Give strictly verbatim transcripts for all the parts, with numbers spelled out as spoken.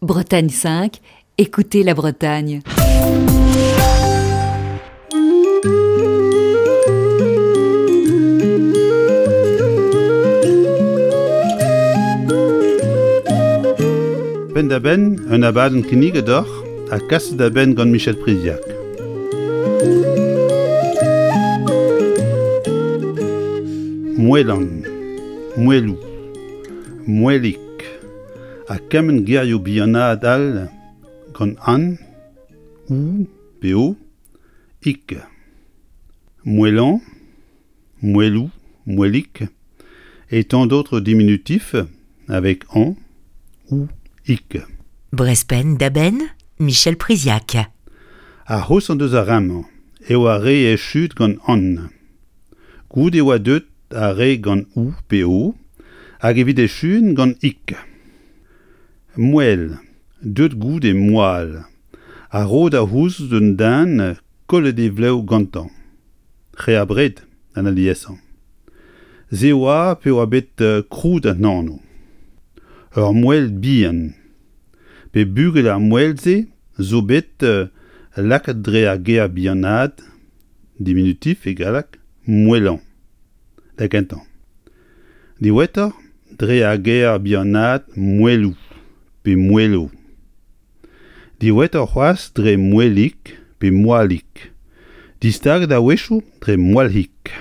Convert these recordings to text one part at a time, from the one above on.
Bretagne cinq, écoutez la Bretagne. Penn-da-benn, un abadenn kinniget deoc'h ha kaset da benn gant Michel Priziac. Moelan, Moeloù, Moelig ha kement gerioù bihanaat all gant an, ou pe o, ik. Moelan, Moelou, Moelig et tant d'autres diminutifs avec an ou ik. Brezh Penn da Benn, Michel Priziac. Ar c'hoshañ deus ar re-mañ eo ar re echuet gant an. Goude e oa deuet ar re gant ou pe o hag evit echuiñ gant ik. Moel, deuet goude moal, a ro da c'houzout d'un den kollet e vlev gantañ. Re abred an aliesañ. Se oa pe oa bet krouet an anv. Ur moel bihan. Pe bugel ar moel-se zo bet lakaet dre ar ger bihanaat, diminutif e galleg, moelañ, da gentañ. Diwezhatoc'h dre ar ger bihanaat moeloù pe moelo. Diwezhatoc'h c'hoazh dre moelig pe moalig, distaget a-wechoù dre moalc'hig.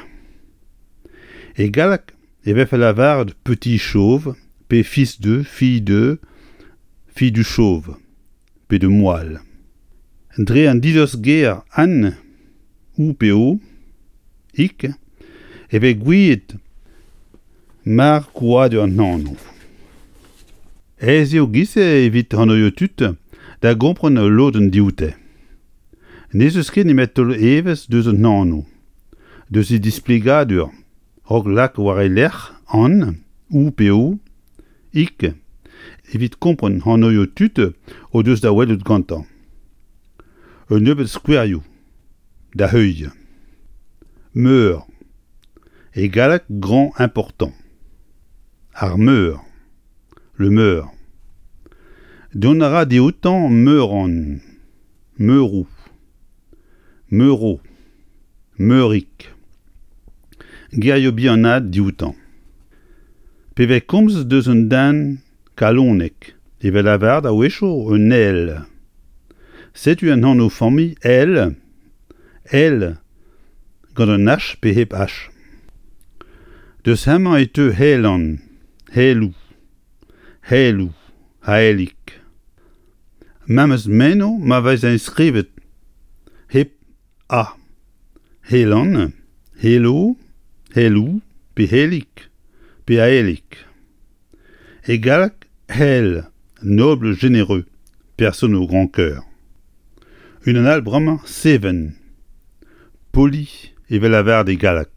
E galleg e vefe lavaret petit chauve pe fils de, fille de, fille du chauve pe de moal. Dre an dilostger an, ou pe o, ik, e vez gouiet mar krouadur an anv. Aes eo giz-se evit anvioù tud da gompren ul lodenn dioute. N'ez eus ket nemet taol evezh deus an anv, deus e displegadur, raok lak war e lerc'h an, ou pe o, ik, evit kompren anvioù tud o deus da welout gantañ. Un nebeud skouerioù da heuilh. Meur. E galleg grand important. Ar meur. Le meur. Dont a ra dioutañ meuran, meuroù, meuro, meurig. Gerioù bihanaat dioutañ. Pe vez komzet deus un den kalonek e vez lavaret a-wechoù un ael. Setu an anv-familh Ael, Ael gant un H pe hep H. Deus hemañ e teu Haelan, Haeloù, Haeloù, Haelig. Memes meno ma vez enskrivet hep A. Haelan, Haelo, Haeloù pe Haelig pe Aelig. E galleg, Hael, noble généreux, personne au grand cœur. Unan all bremañ Seven, poli evel lavaret e galleg.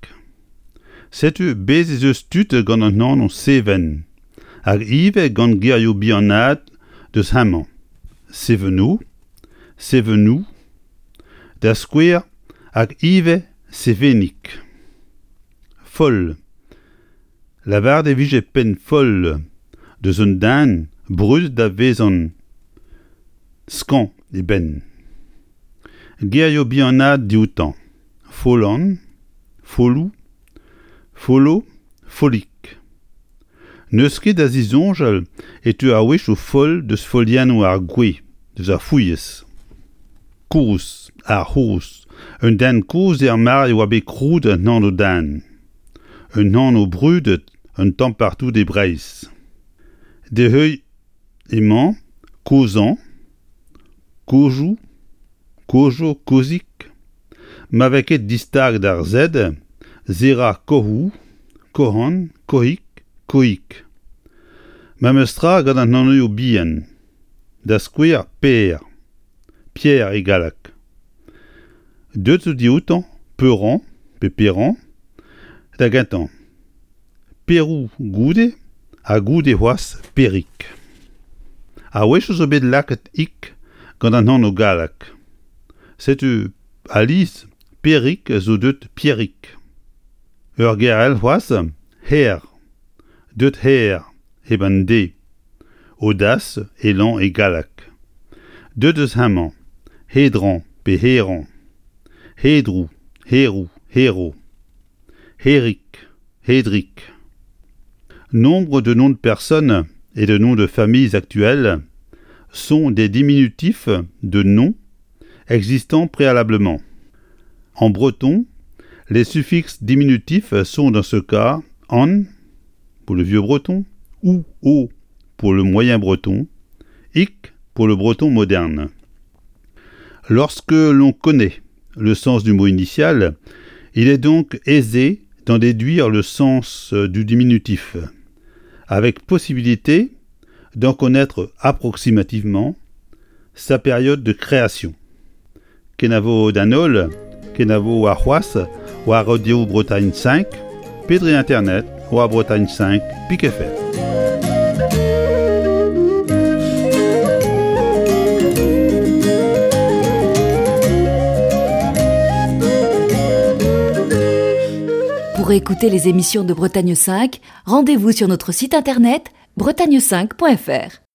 Setu bez' ez eus tud gant an anv Seven hag ivez gant gerioù bihanaat deus hemañ. Seveno, Sevenoù, da skouer hag ivez Sevenig. Foll. Lavaret e vije penn foll deus un den brudet da vezañ skañv e benn. Gerioù bihanaat dioutañ. Follan, Folloù, Follo, Follig. N'eus ket da zisoñjal e teu a-wechoù foll deus foliennoù ar gwez, deus ar fouilhez. Kozh, ar c'hozh, un den kozh er mare e oa bet krouet an anv-den. Un anv brudet un tamm partout e Breizh. D'e heuilh emañ Kozhañ, Kozhoù, Kozho, Kozhig. Ma vez ket distaget ar Z, se ra Kohoù, Kohan, Kohig, Kohig. Memes tra gant an anvioù bihan. Da skouer Per, Pierre e galleg. Deuet zo dioutañ Peuran pe Peran da gentañ. Peroù goude ha goude c'hoazh Perig. A-wechoù zo bet lakaet ik gant an anv gallek. Setu alies Perig zo deuet Pierig. Ur ger all c'hoazh, Her, deuet Her, hep an D, Audace, élan e galleg. Deuet eus hemañ, Hedran pe Herañ, Hedrou, Herou, Hero, Herik, Hedrik. Nombre de noms de personnes et de noms de familles actuels sont des diminutifs de noms existant préalablement. En breton, les suffixes diminutifs sont dans ce cas an pour le vieux breton ou o pour le moyen breton, ik pour le breton moderne. Lorsque l'on connaît le sens du mot initial, il est donc aisé d'en déduire le sens du diminutif, avec possibilité d'en connaître approximativement sa période de création. Kenavo d'an holl, kenavo warc'hoazh war Radio Bretagne cinq, pe dre internet war Bretagne cinq pik F R. Pour écouter les émissions de Bretagne cinq, rendez-vous sur notre site internet bretagne cinq point F R.